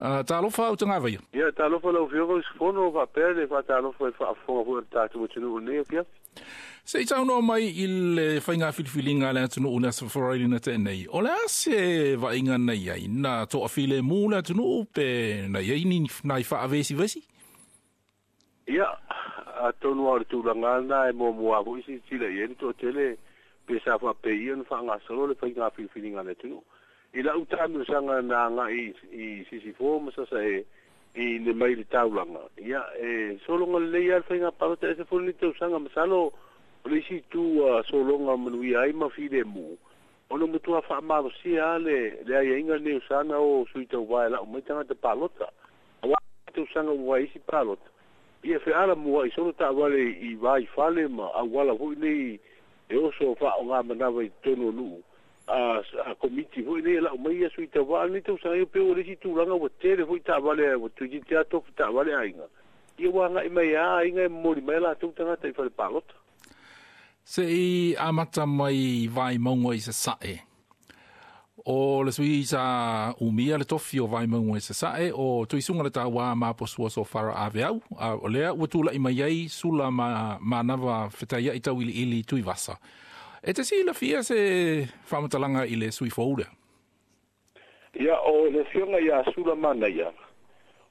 Talofa Utagavaia. Ia, talofa lau Afioga usufono faapea le faatalofa i le faafofoga foi a le tatou atunuu i lenei afiafi. Se i saunoa mai i le faiga filifiliga a le atunuu i le Aso Faraile na tea nei, o le a se vaaiga na i ai? Na toafilemu le atunuu pe na i ai ni nai faavesivesi? Ia, atonu lava o le tulaga lena e muamua foi silasila i ai le toatele pe sa faapei ona faagasolo le faiga filifiliga a le atunuu. I lau taamilosaga na agai i Sisifo ma Sasae i le mai le taulaga, ia, e sologa lelei lava le faiga palota, e ese foi lenei tausaga. Masalo o le isi itu ua sologa manuia ai ma filemu, ona ua matua faamalosia lava le aiaiga lenei o sa na o sui tauva e lau mai tagata palota. Aua tausaga ua vaai isi palota, ia feala mua'i solo taavale i va i fale ma auala foi nei e oso faaaoga i totonu o nuu a komiti foi nei e lau mai ia sui tauva. A o lenei tausaga ia pei ua le isi tulaga ua tele foi taavale ua toeitiiti lava tofu taavale aiga, ia ua agai mai lava aiga e momoli mai a latou tagata i fale palota. Se i amata mai Vaimauga i Sasae. O le sui sa umia le tofi o Vaimauga i Sasae o Tuisuga le Tauā Maposua Sofara Aveau, a o lea ua tula'i mai ai Sula ma Manava Fetaia'i Tauiliili Tuivasa. E te silafia se faamatalaga i le sui fou lea? Ia, o le afioga ia Sula Manaia,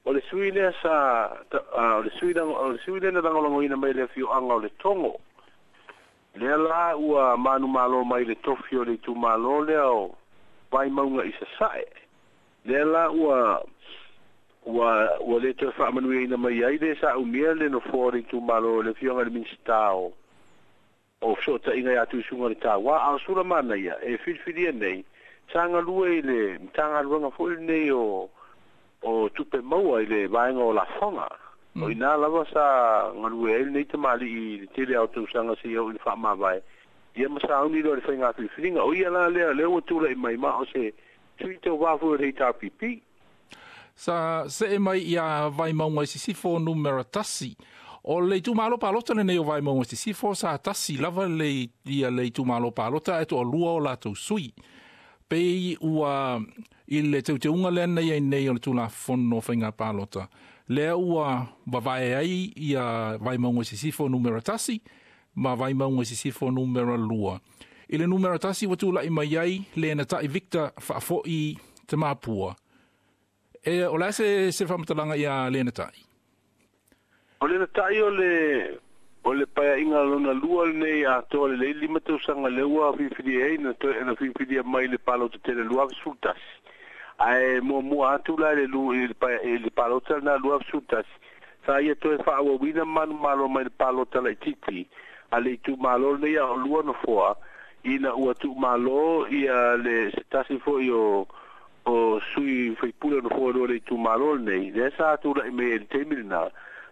o le sui lea sa, o le sui, o le sui lea na lagolagoina mai le afioaga o Letogo. Lea la ua manumalo mai le tofi o le itumalo lea o Vaimauga i Sasae. Lea la ua le toe faamanuiaina mai ai le sa umia le nofoa o le itumalo o le afioga i le Minisita o Fesootaiga ia Tuisuga le Tauā. A o Sula Manaia e filifilia nei, sa galue i le Matagaluega foi lenei o Tupe Maua i le vaega o lafoga. O ina lava sa galue ai lenei tamalii i le tele lava o tausaga seia oo i le faamavae, ia ma sauni loa i le faiga filifiliga. O ia la lea lea ua tulai mai ma o se sui tauva foi o le HRPP. Sa see mai ia Vaimauga i Sisifo numera 1. O le itumalo palota lenei o Vaimauga i Sisifo sa tasi lava le ia le itumalo palota ae toalua o latou sui. Pei ua i le teuteuga lea na i ai nei o le Tulafono o Faiga Palota, lea ua vavae ai ia Vaimauga i Sisifo numera 1 ma Vaimauga i Sisifo numera 2. I le numera 1 ua tula'i mai ai Lenatai Victor Faafoi Tamapua. E o le a se faamatalaga ia Lenatai? O Lenatai o le paeaiga lona lua lenei atoa lelei 5 tausaga lea ua filifilia ai na toe na filifilia mai le palota tele 2011. Ae muamua atu la le lu i le palota lena 2011, sa ia toe faaauauina manumalo mai le palota laitiiti a le itumalo lenei a o lua nofoa, ina ua tuumalo ia le se tasi foi o sui faipule nofoa lua le itumalo lenei lea sa tula'i mai ai i le taimi lena.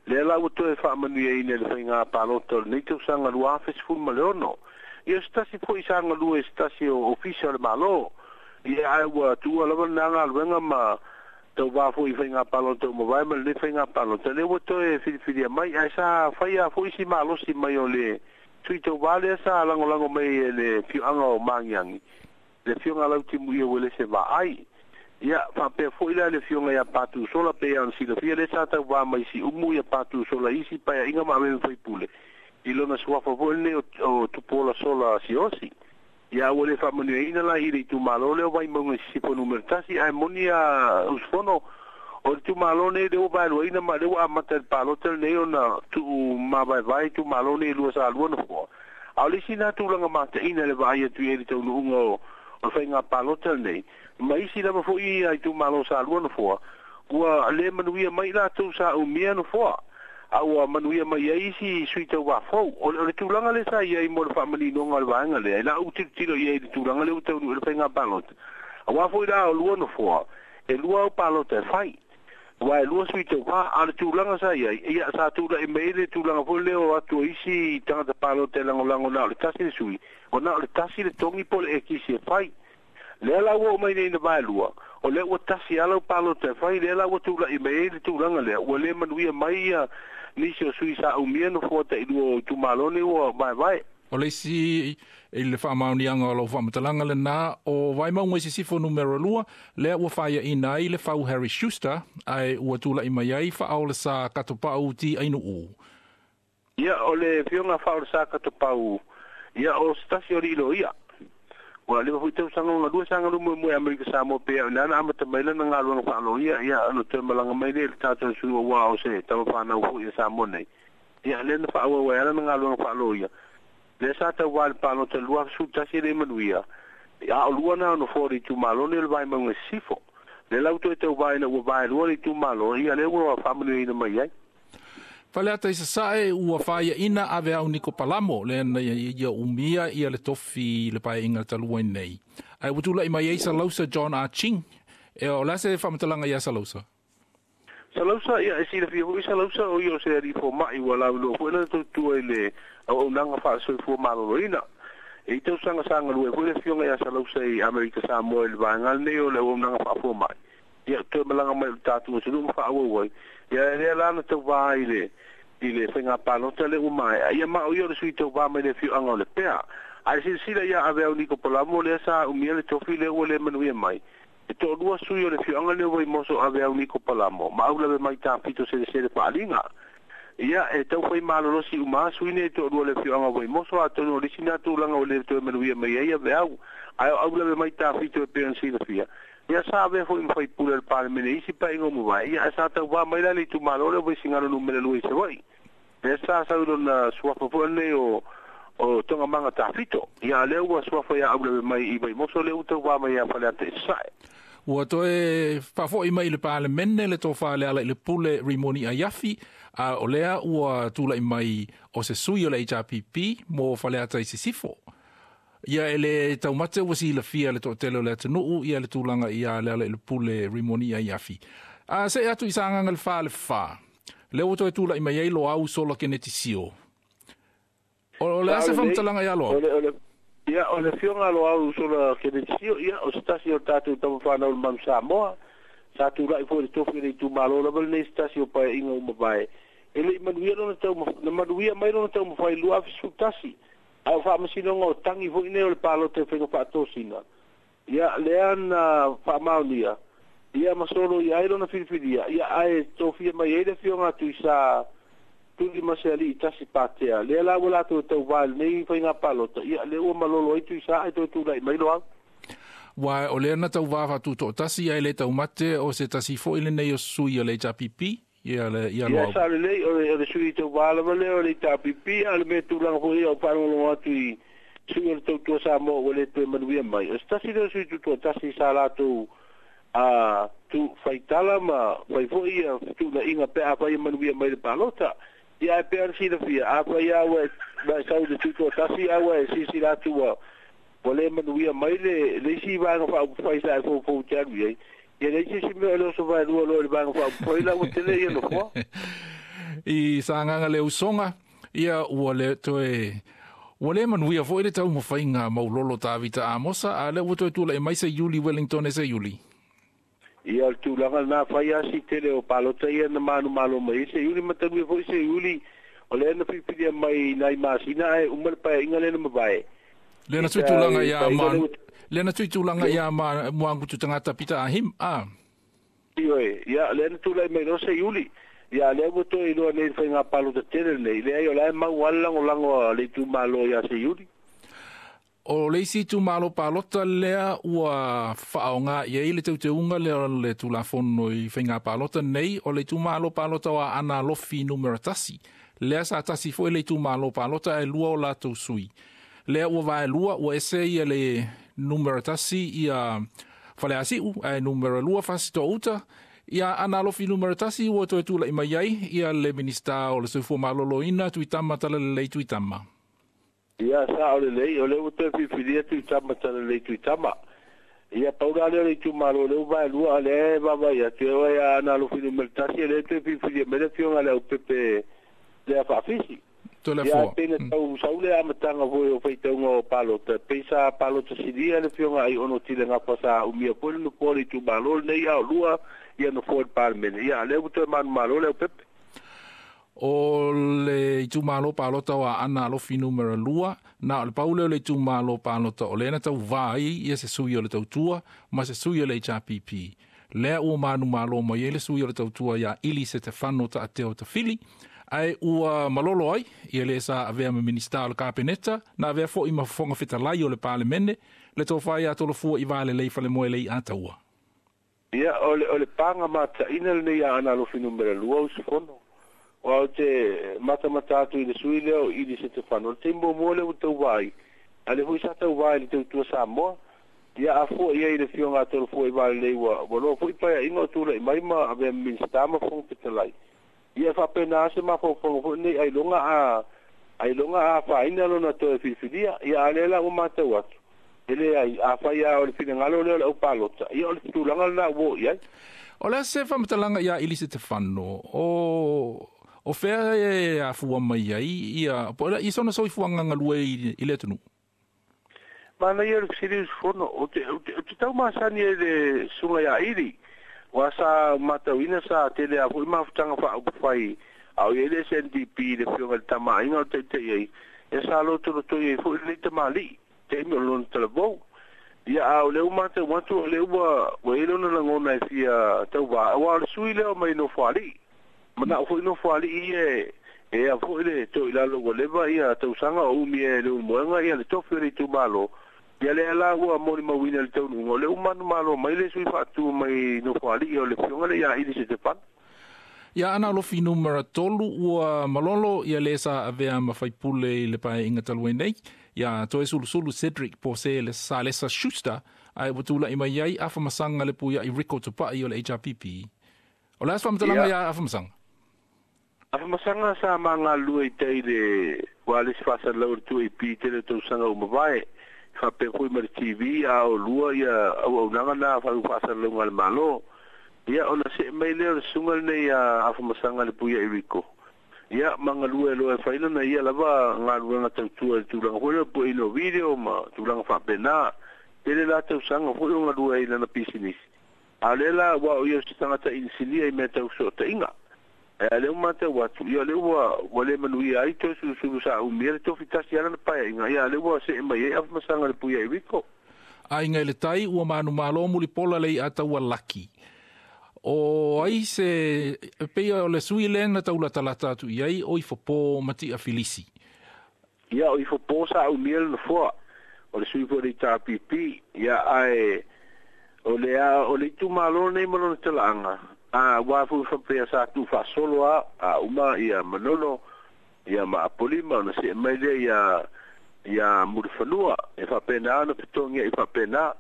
Lea la ua toe faamanuiaina i le faiga palota o lenei tausaga 2016. Ia, se tasi foi sa galue se tasi o ofisa o le Malo, ia ae ua tuua lava lena galuega ma tauvā foi i faiga palota ua mavae ma lenei faiga palota lea ua toe filifilia mai. Ae sa faia foi si malosi mai o le sui tauvā lea sa lagolago mai e le afioaga o Magiagi, le afioga Lautimuia Uelese Vaai. Ia, faapea foi la le afioga ia Patu Sola, pei ona silafia lea sa tauvā mai Siumu ia Patu Sola i isi paeaiga ma ave ma faipule i lona suafa foi lenei o Tupuola Sola Siaosi. Ia, ua le faamanuiaina la i le itumalo lea o Vaimauga i Sisifo numera 1. Ae moni a usufono, o le itumalo nei lea ua vaeluaina ma lea ua amata i le palota lenei ona tuu mavaevae itumalo nei e lua sa lua nofoa. A o le isi na tulaga mataina le vaai atu i ai le taunuuga o le faiga palota lenei ma isi lava foi ia itumalo sa lua nofoa, ua le manuia mai latou sa umia nofoa, a ua manuia mai ai isi sui tauvā fou. O le tulaga lea sa i ai mo le faamaninoga o le vaega lea i lau tilotilo i ai i le tulaga lea ua taunuu i le faiga palota. Aua foi la o lua nofoa, e lua au palota e fai, aua e lua sui tauvā. A o le tulaga sa i ai, ia sa tula'i mai ai le tulaga foi lea o atu o isi tagata palota e lagolago na o le tasi le sui, o na o le tasi le togi po o le ekisi e fai. Lea la ua oo mai nei na vaelua, o lea ua tasi lava lau palota e fai. Lea la ua tula'i mai ai le tulaga lea ua le manuia mai ia nisi o sui sa umia nofoa tailua o itumalo nei ua vaevae. O le isi i le faamaoniaga o lau faamatalaga lenā o Vaimauga i Sisifo numera 2 lea ua faiaina ai le fau Harry Schuster ae ua tula'i mai ai faaolesā katopa'u ti ainu'u. Ia o le fioga faaolesā katopau ia o se tasi o lilo ia. Ua leva foi tausaga ona lua saga lumu mo Amerika Samoa pe na na amata mai lana galuega faaloia ia ona toe malaga mai lea i le tatou sui ua o se tamafanau foi ia Samoa nei. Ia lea na faaauau ai lana galuega faaloia. Le sa tau le palota 21 le manuia. A o lua na ono fo le itumalo le Vaimauga Sisifo. Le lau toe tau vai na ua vai lua le itumalo ia le ua faamanuiaina mai ai. Faleata i Sasae ua faiaina ave au Niko Palamo le na ia umia ia le tofi le paeaiga talu ai nei. Ae ua tula'i mai ai Salausa John A. Ching. E o le se faamatalaga ia Salausa? Salausa ia e silafia foi Salausa o ia o se alii foma'i ua lauiloa foi lana tautua i le auaunaga faasoifua maloloina. E i tausaga sa galue foi le afioga ia Salausa i Amerika Samoa i le vaega lenei o le auaunaga faafoma'i. Ia toe malaga mai i le tatou atunuu ma faaauau ai. Ia lea la na tauvā i le faiga palota le ua maea. Ia ma o ia o le sui tauvā mai le afioaga o le Pea. Ae silasila ia ave au Niko Palamo lea sa umia le tofi lea ua le manuia mai. E toalua sui o le afioaga lea Vaimoso ave au Niko Palamo ma au lave mai tafito selesele faaliga. Ia e tau fai malolosi uma sui nei toalua le afioaga Vaimoso atonu o le isi na tulaga o le toe manuia mai ai ave au. Ae o au lave mai tafito e pei ona silafia. Ia sa avea foi ma faipule o le Palemene isi paeaiga o mavae. Ia ae sa tauvā mai la le itumalo lea o Vaisigano numera 2 i Savaii. Lea sa sau i lona suafa foi lenei o Togamaga Tafito. Ia a lea ua suafa ia aulave mai i Vaimoso lea ua tauvā mai ia Faleata i Sasae. Ua toe faafo'i mai i le Palemene le tofā le ala i le pule Rimoni Aiafi, a o lea ua tula'i mai o se sui o le HRPP mo Faleata i Sisifo. Ia e le taumate ua silafia le toatele o le atunuu ia le tulaga ia le ala i le pule Rimoni Aiafi. A se'e atu i Sagaga le 4 le 4. Lea ua toe tula'i mai ai Loau Sola Keneti Sio. O le a se faamatalaga ia Loau? Ia o le afioga Loau Sola Keneti Sio ia o se tasi o tatou tamafanau o le Manu Samoa. Sa tula'i foi le tofi o le itumalo lava lenei se tasi o paeaiga ua mavae. E le'i manuia lona tau na manuia mai lona taumafai 2011. Ae o faamasinoga o tagi foi nei o le palota e faiga faatosina. Ia lea na faamaonia ia ma solo ia ai lona filifilia. Ia ae tofia mai ai le afioga Tuisa Tuli ma se alii tasi patea. Lea la ua latou tauvā i lenei faiga palota. Ia lea ua malolo ai Tuisa ae toe tula'i mai Loau. Ua o lea na tauvā faatuto'atasi ae le taumate o se tasi foi lenei o sui o le HRPP ia le ia Ia Loau. sa lelei o le sui tauvā lava lea o le HRPP a o le mea tulaga foi ia o faalogologo atu i sui o le tautua Samoa ua le toe manuia mai. O se tasi lea o sui tutoatasi sa latou a tu faitala ma fai foi ia fetuunaiga pe afai e manuia mai le palota. Ia ae pei ona silafia afai a ua e sau i le tutoatasi a ua e silasila atu ua le manuia mai le isi vaega faaupufai sa e foufou te alu i ai. Ia leai se isi mea o le oso vaelua loa i le vaega faaupufai la ua tele ia nofoa. I Sagaga le usoga ia ua le toe ua le manuia foi le taumafaiga maulolo Tavita Amosa a lea ua toe tula'i mai se Iuli Wellington e se Iuli. Ia o le tulaga lenā fai a si tele o palota ia na manumalo mai ai se Iuli ma talu ai foi se Iuli o lea na filifilia mai nai masina ae uma le paeaiga lea na mavae. Lea na I tuitulaga le ia paeaiga ma lea ua lea na tuitulaga ia ma Muagutu tagata Pita Ahim a. Ioe, ia lea na tulai mai loa se Iuli. Ia lea ua toe iloa nei i le faiga palota tele lenei. Leai o la e mau lava le lagolago a le itumalo ia se Iuli. O le isi itumalo palota lea ua faaaogā i ai le teuteuga lea o le Tulafono i faiga palota nei o le itumalo palota o Aana Alofi numera 1. Lea sa tasi foi le itumalo palota ae lua o latou sui. Lea ua vaelua ua ese ia le numera 1 ia Faleasiu ae numera 2 Fasitouta. Ia Aana Alofi numera 1 ua toe tula'i mai ai ia le Minista o le Soifua Maloloina Tuitama Talalelei Tuitama. Ia sa'o lelei o lea ua toe filifilia Tuitama Talalelei Tuitama. Ia pau la lea o le itumalo o lea ua vaelua a lea e vaavaai atu e oo ia Aana Alofi numera 1 lea e toe filifilia mai le afioga le Aupepe lea Faafisi. Toe Ia ae afoa. pei na tau sau le amataga foi o faitauga o palota pei sa palota silia le afioga Aiono Tile Gafa sa umia foi le nofoa o le itumalo lenei a o lua ia nofoa i le Palemene. Ia a lea ua toe manumalo le Aupepe. O le itumalo palota o Aana Alofi numera 2, na o le paule o le itumalo palota o lena tauvā ai ia se sui o le tautua ma se sui o le HRPP. Lea ua manumalo mai ai le sui o le tautua ia Ili Setefano Ta'ateo Tafili, ae ua malolo ai ia le sa avea ma Minista o le Kapeneta, na avea fo'i ma Fofoga Fetalai o le Palemene, le tofa ia Tolofua i Valelei Falemoe lei Ataua. Ia, o le paga mataina lenei Aana Alofi numera 2 usufono. O au te matamata atu i le sui lea o Ili Setefano. O le taimi muamua lea ua tauvā ai, a le foi sa tauvā i le tautua Samoa. Ia a fua ia i le fioga a Tolofua i Valelei ua loa foi paeaiga o tula'i mai ma avea ma Minista ma Fofoga Fetalai. Ia faapena se mafaufauga foi lenei ailoga a afaina lona toe filifilia. Ia a lea la ua matau atu. E leai, afai lava o le finagalo lea o le aupalota, ia o le tulaga lena ua oo i ai. O le a se faamatalaga ia Ili Setefano, o fea e afua mai ai ia po o le i sona soifuaga galue i le atunuu? Manaia le fesili usufono, o te tau masani ai le susuga ia Ili, ua sa matauina sa tele lava foi mafutaga faaupufai a o i ai le SNDP i le afioga i le Tama a Aiga o le taitai ai, ia sa lotolotoi ai foi lenei tamalii, taimi o lona talavou. Ia a o lea ua matau atu o lea ua i ai lona lagona e fia tauvā, aua o le sui lea o mai Nofoalii. Manao foi Nofoalii ia e a foi le toilalo ua leva ia tausaga o umi e le ulumoega ia le tofi o le itumalo. Ia lea la ua molimauina le taunuuga o lea ua manumalo mai le sui faatu mai Nofoalii o le afioga lea ia Ili Setefano. Ia Aana Alofi numera 3 ua malolo ia le sa avea ma faipule i le paeaiga talu ai nei. Ia Toesulusulu Cedric Pose le Salesa Schuster, ae ua tula'i mai ai Afamasaga le puia'i Rico Tupa'i o le HRPP. O le a se faamatalaga ia Afamasaga? Afamasaga sa magalulue i tai le ua le isi faasalalau o le 2AP tele o tausaga ua mavae, faapea foi ma le TV a o lua ia auaunaga na faasalalauga a le Malo. Ia ona see mai lea o le susuga lenei a Afamasaga le puia'i Rico. Ia magalue loa e fai lana ia lava galuega tautua i le tulaga foi lea o le pueina o video ma tulaga faapena. Tele la tausaga foi o galue ai i lana pisinisi. A o lea la ua o ia o se tagata inisinia i mea tau fesootaiga. Ae a lea ua matau atu, ia o lea ua le manuia ai Toesulusulu sa umia le tofi tasi lava lana paeaiga, ia a lea ua see mai ai Afamasaga le puia'i Rico. Aiga i le Tai ua manumalo mulipola le i'a laki. O ai se pei o le sui lea na taulatalata atu i ai o Ifopo Matia Filisi. Ia o Ifopo sa umia le nofoa o le sui foi o le HRPP. Ia ae o le itumalo nei ma lona talaaga, a ua foi faapea sa tuufaasolo a uma ia Manono ia ma Apolima ona see mai lea ia Mulifanua e faapena ona fetogia'i i faapena.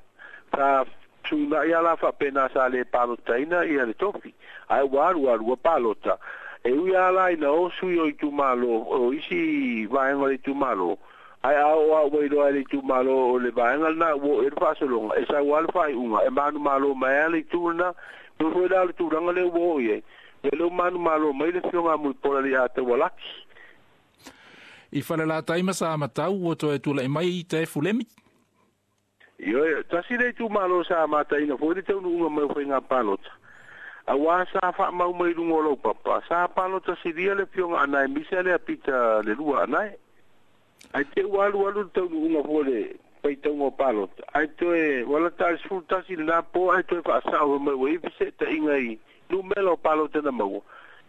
Sa suima'i a la faapena sa le palotaina ia le tofi, ae ua alu alu ua palota. E ui lava la ina o sui o itumalo o isi vaega o le itumalo, ae a oo lava ua iloa e le itumalo o le vaega lena ua oo i ai le faasologa, e sau lava le faaiuga e manumalo mai lava le itu lena. Pei foi la o le tulaga lea ua oo i ai, ia lea ua manumalo mai le afioga a Mulipola le Ataua Laki. I Falelatai ma Samatau ua toe tula'i mai Tae Fulemi. Ioe, tasi le itumalo sa mataina foi le taunuuga mai o faiga palota. Auā sa faamau mai luga o laupapa, sa palota silia le afioga Anae Misa lea Pita le lua Anae. Ae te ua alualu le taunuuga foi o le faitauga o palota, ae toe ua lata i le 11 lena po ae toe faasa'o mai ua i ai fese'etaiga i numera o palota na maua.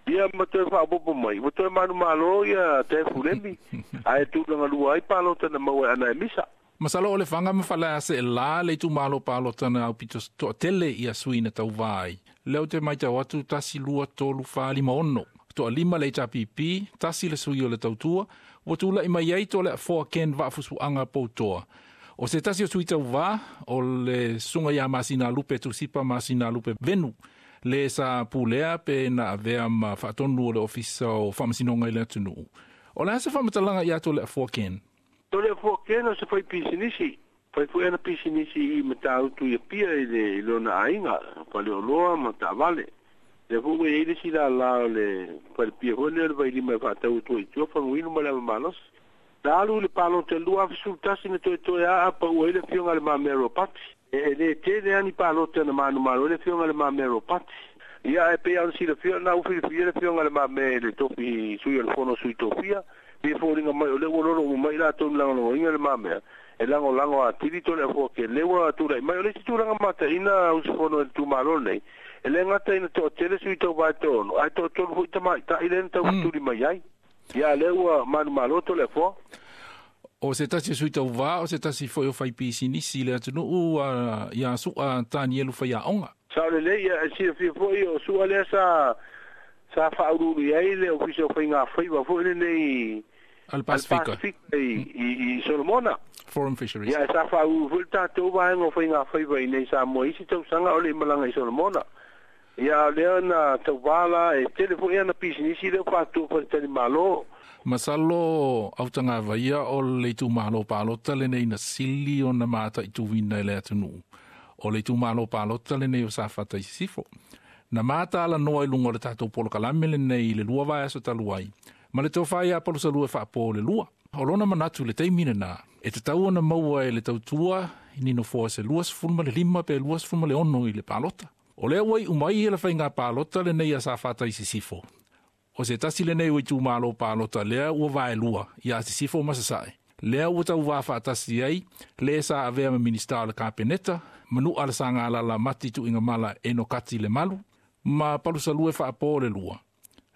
Ia ma toe faaopoopo mai, ua toe manumalo ia Tae Fulemi, ae tulaga lua ai palota na maua e Anae Misa. Masalo o Lefaga ma Faleaseelā le itumalo palota na aupito to'atele ia sui na tauvā ai. Lea ou te matau atu 1, 2, 3, 4, 5, 6. To'alima le HRPP, 1 le sui o le tautua, ua tula'i mai ai Toleafoa Ken Vaafusuaga Poutoa. O se tasi o sui tauvā, o le susuga iā Masinalupe Tusipa Masinalupe Venu, le sa pulea pe na avea ma faatonu o le Ofisa o Faamasinoga i le atunuu. O le a se faamatalaga iā Toleafoa Ken? Toleafoa Ken o se fai pisinisi. Fai foi ana pisinisi i Matautu i Apia i le lona aiga, faleoloa ma taavale. Lea foi ua i ai le isi lālā o le falepia foi lea o le Vailima e faatau atu ai i tua faguinu ma le ava malosi. Na alu i le palota i le 2011 na toetoe aa paua ai le afioga i Le Mamea Ropati. E lē tele lava ni palota na manumalo ai le afioga i Le Mamea Ropati. Ia e pei ona silafia na ufilifia le Afioga Le Mamea i le tofi sui o le Fono Sui Tofia, pe foliga mai o lea ua lolo uma mai latou lagolagoina Le Mamea e lagolago atili Toleafoa Ken lea ua tulai mai. O le isi tulaga mataina usufono i le itumalo lenei, e le gata ina toatele sui tauva e toaono, ae toatolu foi tamaitai lea na taufetuli mai ai. Ia lea ua manumalo Toleafoa. O se tasi o sui tauvā, o se tasi foi o faipisinisi i le atunuu iā Su'a Tanielu Faiaoga. Sao lelei, ia e silafia foi o Su'a lea sa faauluulu i ai le Ofisa o Faiga Faiva foi lenei a le Pasifika i Solomona. Forum Fisheries. Ia sa faauluulu foi le tatou vaega o Faiga Faiva i nei Samoa i isi tausaga o le i malaga i Solomona. Ia o lea na tauvā la e tele foi ana pisinisi lea ua faatu faletalimalo. Masalo autagavaia o le itumalo palota lenei na sili ona mataituina i le atunuu. O le itumalo palota lenei o Safata i Sisifo. Na matalanoa i luga o le tatou polokalame lenei i le 2 vaiaso talu ai, ma le tofa ia Palusalua faapo le 2. O lona manatu i le taimi lenā, e tatau ona maua e le tautua i ni nofoa se 25 pe 26 i le palota. O lea ua iu mai le faiga palota lenei a Safata i Sisifo. O se tasi lenei o itumalo palota lea ua vaelua ia Sisifo ma Sasae. Lea ua tauvā faatasi ai le sa avea ma Minista o le Kapeneta, Manu'a le Sagalala Mati Tuigamala Enokati Lemalu, ma Palusalua faapo le 2.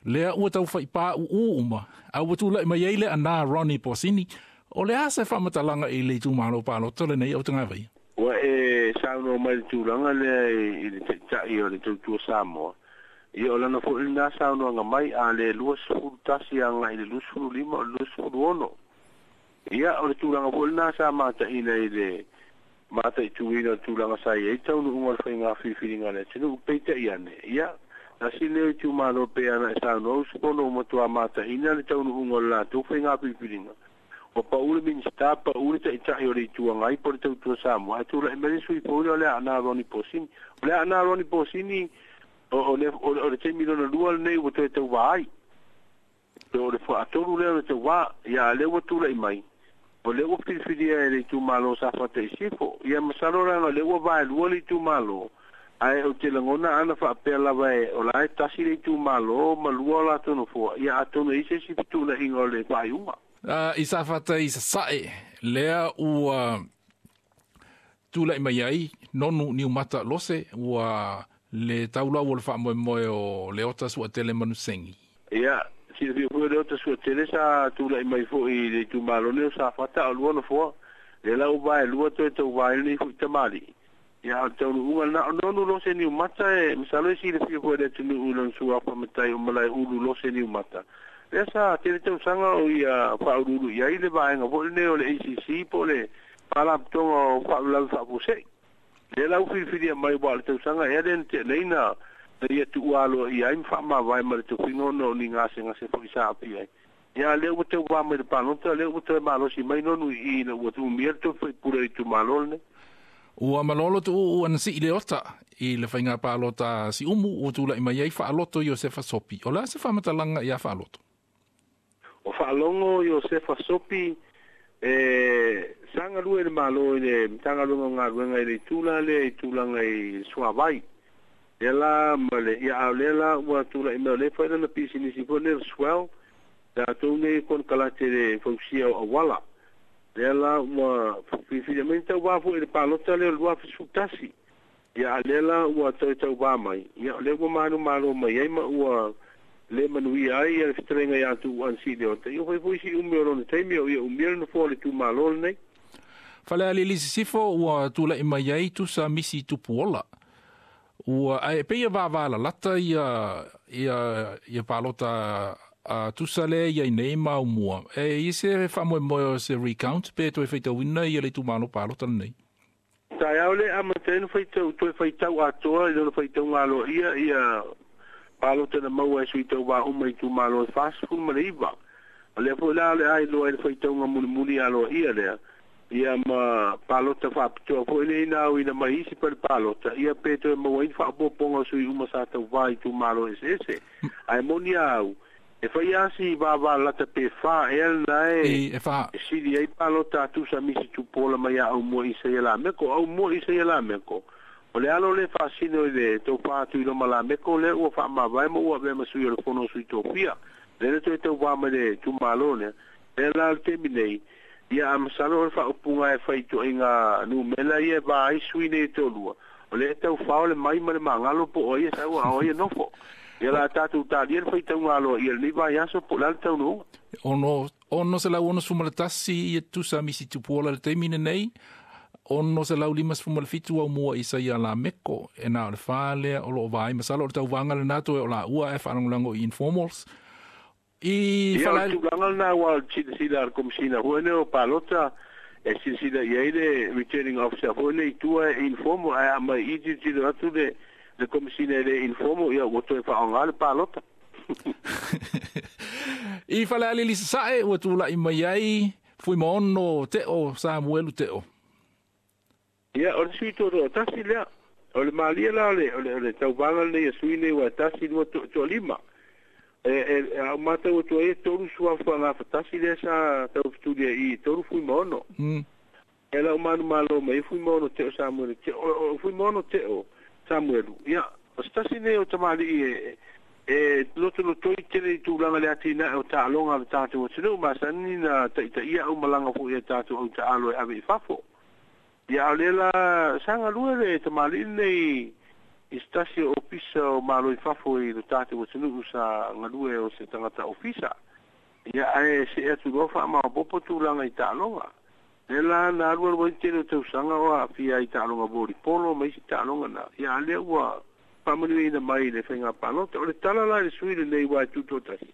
Lea ua taufaipāuū uma, a ua tula'i mai ai le anā Ronnie Posini. O le a se faamatalaga i le itumalo palota lenei autagavaia? Ua e saunoa mai i le tulaga lea i le Taitai o le Tautua Samoa. Ia o lana foi lenā saunoaga mai, a le 21 agai i le 25 o le 26. Ia o le tulaga foi lenā sa mataina i le mataituina o le tulaga sa i ai taunuuga o le faiga filifiliga a le atunuu. Peitai ane, ia, tasi lea o itumalo pei ona e saunoa usufono ua matua mataina le taunuuga o le latou faiga filifiliga. Ua pau le Minisita, pau le Taitai o le Itu Agai po o le Tautua Samoa, ae tulai mai le sui fou lea o le Aana Ronnie Posini. O le Aana Ronnie Posini, o le taimi lona lua lenei ua toe tauvā ai. O le faatolu lea o le tauvā, ia a lea ua tulai mai, o lea ua filifilia e le itumalo o Safata i Sisifo. Ia masalo leaga o lea ua vaelua le itumalo, ae ou te lagona ana faapea lava e o la e tasi le itumalo ma lua o latou nofoa, ia atonu e i ai se isi fetuunaiga o le faaiuga. I Safata i Sasae, lea ua tulai mai ai Nonu Niumata Lose, ua le taulau o le faamoemoe o Leota Suatele Manusengi. Ia, silafia foi o Leota Suatele sa tulai mai foi i le itumalo lenei o Safata, a o lua nofoa, lea la ua vaelua toe tauvā ai lenei foi tamalii. Ia, o le taunuuga lena. O Nonu Lose Niumata e masalo e silafia foi e le atunuu i lona suafa matai o Malaeulu Lose Niumata. Lea sa tele tausaga o ia faauluulu i ai le vaega foi lenei o le ACC po o le Faalapotopotoga o Faalavelave Faafuasei. Lea la ua filifilia mai aua o le tausaga ea lea na tea nei na ia tuualoa ia ai ma faamavae ma le tofiga ona o ni gasegase foi sa aafia ai. Ia a lea ua tauvā mai le palota, lea ua toe malosi mai Nonu i i ina ua umia le tofi faipule o le itumalo lenei. Ua malolo tuuu ana sii le ota i le faiga palota a Siumu ua tula'i mai ai Faaloto Iosefa Sopi. O le a se faamatalaga iā Faaloto? O Faalogo Iosefa Sopi e sa galue i le Malo i le Matagaluega o Galuega i le itu la lea i tulaga i le suavai. Lea la ma le, ia a o lea la ua tula'i mai o lea e fai lana pisinisi foi lea o le Swell, latou nei e konekarate i le fausia o auala. Lea la ua filifili mai na tauvā foi i le palota lea o le 2011. Ia a lea la ua toe tauvā mai, ia o lea ua manumalo mai ai ma ua le manuia ai ia le fetalaiga ia Tuuu Ansi Leota. Ia ua fai foi si umi o lona taimi a o ia umia le nofoa o le itumalo lenei. Falealili Sisifo ua tula'i mai ai Tusa Misi Tupuola. Ua ae pei e vavalalata ia ia ia palota a Tusa lea i ai nei ma aumua. E i ai se faamoemoe o se recount pe toe faitauina ia le itumalo palota lenei? Taeao lea e amata ai ona faitau toe faitau atoa i lona faitauga aloaia ia palota na maua e sui tauvā uma i itumalo e 49. O lea foi la o le a iloa ai le faitauga mulimuli aloaia lea, ia ma palota faapitoa foi lea ina auina mai isi pale palota, ia pe toe maua ai ni faaopoopoga o sui uma sa tauvā i itumalo eseese. Ae moni a au, e fai lava si vavalalata pe fa ea lena e E fa. e sili ai palota a Tusa Misi Tupuola mai ia Aumua Isaia Lameko. O Aumua Isaia Lameko, O le alo le faasino i le taufā Tuiloma Lameko lea ua faamavae ma ua avea ma sui o le Fono Sui Tofia. Lea na toe tauvā mai le itumalo lea. Lea la o le taimi nei, ia a masalo o le faaupuga e fai i ituaiga numera ia e va ai sui nei e toalua, o lea e taufao le mai ma le magalo po o ai e sau a o ai e nofo. Ia o le a tatou talia le faitauga aloaia i lenei vaiaso po o le a le taunuuga. 661 ia tusa misi tupuola i le taimi lenei, 657 aumua i Isaia Lameko, e na o le fa lea o lo o va ai. Masalo o le tauvaga lena toe o laua ae faalagolago i informals. I Ia, o le tulaga lena aua o le silasila a le Komesina foi lenei o Palota, e silasila i ai le returning officer foi lenei i tua e informal, ae a aumai i i tilotilo atu le le Komesina e le informal, ia ua toe faaaoga le palota. I Falealili Sasae ua tulai mai ai Fuimaono Teo Samuelu Teo. Ia, o le sui toatoatasi lea. O le malie la o le, o le, o le tauvaga lenei a sui nei ua e tasi, lua, toalima. E, e, a ou matau atu ai e tolu suafa gafatasi lea sa taufetulia i i, tolu Fuimaono. E lau manumalo mai ai Fuimaono Teo Samuelu Teo. O, o Fuimaono Teo Samuelu, ia, o se tasi lenei o tamalii e, e lotolotoi tele i tulaga le atinae o taaloga a le tatou atunuu, masani na taitaia au malaga foi a tatou au taalo e ave i fafo. Ia, a o lea la sa galue le tamalii lenei i se tasi o ofisa o Malo i fafo i lo tatou atunuu sa galue o se tagata ofisa. Ia, ae see atu loa faamaopoopo tulaga i taaloga. Lea la na alualu ai le tele o tausaga o aafia ai i taaloga volipolo ma isi taaloga na, ia a lea ua faamanuiaina mai i le faiga palota. O le tala la i le sui lenei aua e tutoatasi,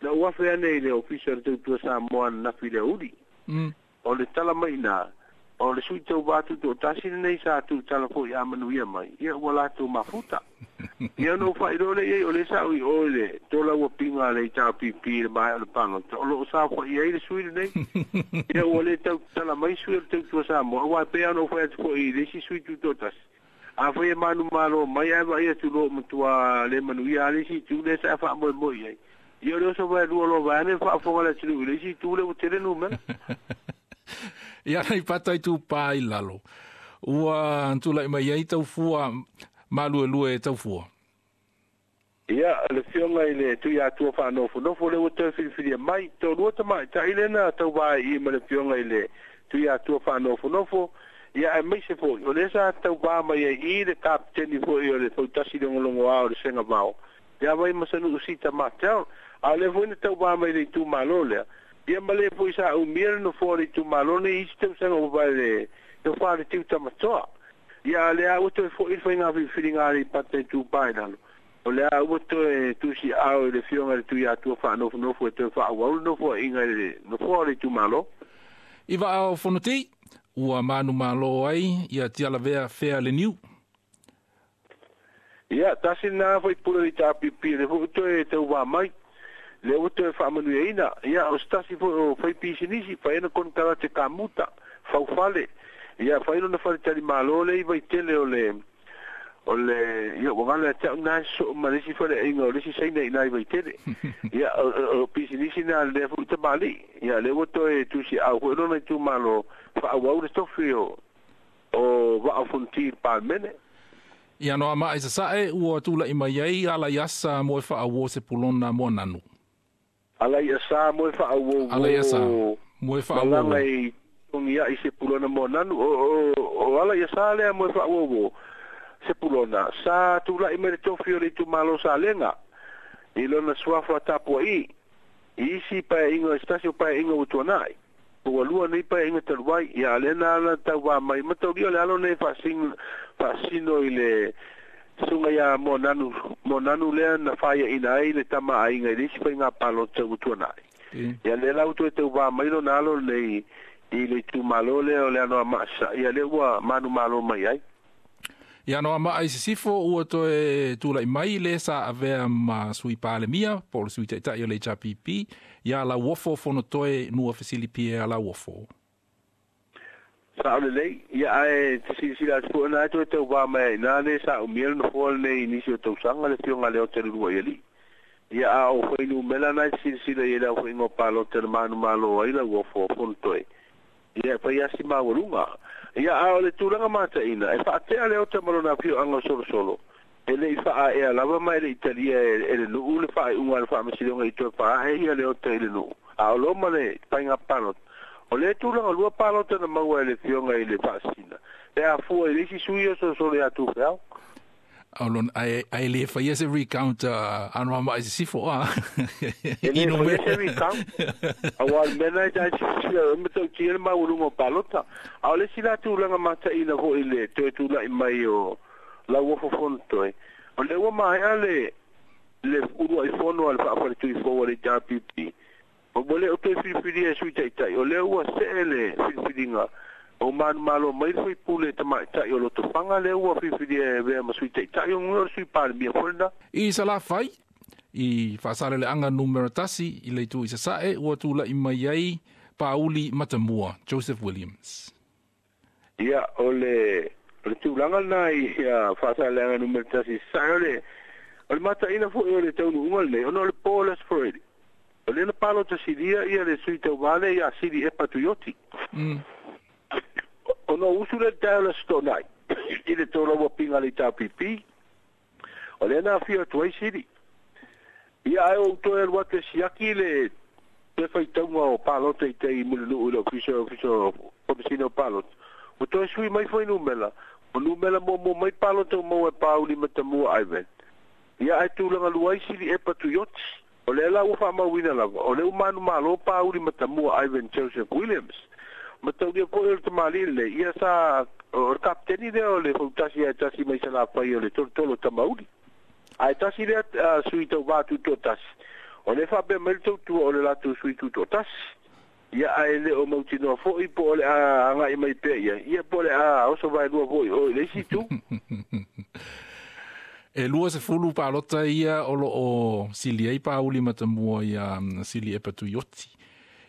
na ou afe ane i le Ofisa o le Tautua Samoa ananafi i le aoauli. O le tala mai i ina, o le sui tauva tutoatasi lenei sa tuutala foi a manuia mai, ia ua latou mafuta. Ia ona ou faailoa lea i ai, o lea sa ou i o i le tolauapiga a le HRPP i le maea o le palota, o lo o saofai ai le sui lenei. Ia ua le tau tatala mai sui o le Tautua Samoa, aua e pei lava ona ou fai atu foi i le isi sui tutoatasi, afai e manumalo mai ae vaai atu loa ua matua le manuia lava le isi itu lea sa e faamoemoe i ai, ia o le oso vaelua loa vaeane le faafofoga a le atunuu i le isi itu lea ua tele numera. Ia Aleipata Itupa i lalo, ua tulai mai ai tau fua maluelue e tau fua. Ia, le Afioga i le Tuiatua Faanofonofo lea ua toe filifilia mai, toalua tamaitai lea na tauva ai i i ma le Afioga i le Tuiatua Faanofonofo, ia aemaise foi o lea sa tauva mai ai i i le Kapeteni foi o le Fautasi Logologoa o le Segavao, ia Vaimasanuu Sita Martel, a o lea foi na tauva mai i le itumalo lea, ia ma le foi sa umia le nofoa o le itumalo nei i isi tausaga ua mavae le tofa a le Tiu Tamatoa. Ia a o lea ua toe foi le faiga filifiliga a Aleipata Itupa i lalo, o lea ua toe tusiaao i le Afioga i le Tuiatua Faanofonofo e toe faaauau le nofoaiga i le nofoa o le itumalo. I vaa o Fonoti, ua manumalo ai ia Tialavea Fea Leniu. Ia, tasi lena faipule o le HRPP lea foi ua toe tauva mai, lea ua toe faamanuiaina. Ia, o se tasi foi o faipisinisi, fai ana konekarate kamuta, faufale. Ia, fai lona faletalimalo lea i Vaitele o le, o le, ia, ua galo ia te au lena e sosoo ma le isi faleaiga o le isi Saina i ina i Vaitele. Ia, o pisinisi na a lea foi tamalii. Ia, lea ua toe tusiaau foi lona itumalo, faaauau le tofi o, o Vaa o Fonoti i le Palemene. I Anoamaa i Sasae ua tulai mai ai Alaiasa Moefaauo Sepulona Moananu. Alaiasa Moefaauo Alaiasa Moefaauo. Malaga i Togiai Sepulona Moananu. O Alaiasa lea Moefaauo Sepulona sa tulai mai le tofi o le itumalo Salega i lona suafa tapuai i isi paeaiga i se tasi o paeaiga ua tuanai. Ua lua nei paeaiga talu ai, ia a lea na ala tauva mai mataulia o le alo nei faasino i le susuga ia Moananu, Moananu lea na faiaina ai le tama aiga i le isi faiga palota ua tuanai. Ia lea la ua toe tauva mai lona alo lenei i le itumalo lea o le Anoamaa Sasae, ia lea ua manumalo mai ai. I Anoamaa i Sisifo ua toe tulai mai le sa avea ma Sui Palemia po o le Sui Taitai o le HRPP ia Lauofo Fonotoe Nua Fesili Pierre Lauofo. Sao lelei, ia ae te silasila atu foi ona e toe tauva mai ai i ina le sa umia le nofoa lenei i nisi o tausaga le Afioga a Leota Luluaialii. Ia a o fuainumera na e te silasila i ai le aofaiga o palota na manumalo ai Lauofo Fonotoe, ia e fai lava si maualuga. Ia a o le tulaga mataina e faatea Leota ma lona afioaga o Solosolo e le'i faaea lava ma e le'i talia e le nu'u le faaiuga a le faamasinoga i toe faaa'e ia Leota i le nu'u a o lo ma le faiga palota. O le tulaga lua palota na maua e le fioga i le faasina e afua i le isi sui o Solosolo ia Tufeao. Aulon ai le faia se recount Anoamaa i Sisifo a. E le faia se recount. Auā le mea lena e tae silasila ai matautia le maualuga o palota. A o le isi la tulaga mataina fo'i le toe tula'i mai o Lauofo Fonotoe, o lea ua maea le ulua'i fono a le faafaletui fou a le HRPP. O ua le o toe filifilia e sui ta'ita'i, o lea ua se'e le filifiliga o manumalo mai le faipule tamaʻitaʻi o Lotofaga lea ua filifilia e avea ma sui ta'itaʻi o o le sui palemia foi lena. I Salafai i Faasaleleaga 1 i le itu i Sasa'e ua tula'i mai ai Pauli Matamua Joseph Williams. Ia o le tulaga lena i Faasaleleaga 1 i Sasa'e o le mataina fo'i o le taunuuga lenei ona o le po le Aso Faraile o lea na palota silia ia le sui tauvā lea ia Sili Epa Tuioti. Ona usu le tae o le Aso Toonai i le tolauapiga a le HRPP o lea na afio atu ai Sili. Ia ae ou toe alu atu e siaki le toe faitauga o palota i tai Mulinuu i le ofisa Komesina o Palota. Ua toe sui mai foi numera o numera muamua mai palota ua maua e Pauli Matamua Ivan. Ia ae tulaga lua ai Sili Epa Tuioti. O lea la ua faamauina lava o lea ua manumalo Pauli Matamua Ivan Joseph Williams. Mataulia foi o le tamalii lenei ia sa o le kapiteni lea o le Fautasi ae tasi mai Salafai o le tolotolo Tamauli. Ae tasi lea sui tauvā tutoatasi. O lea faapea mai le tautua o le latou sui tutoatasi. Ia ae le o mautinoa fo'i po o le a aga'i mai pea ia, ia po o le a oso vaelua fo'i o i le isi itu. E 20 palota ia o loo sili ai Pauli Matamua ia Sili Epa Tuioti.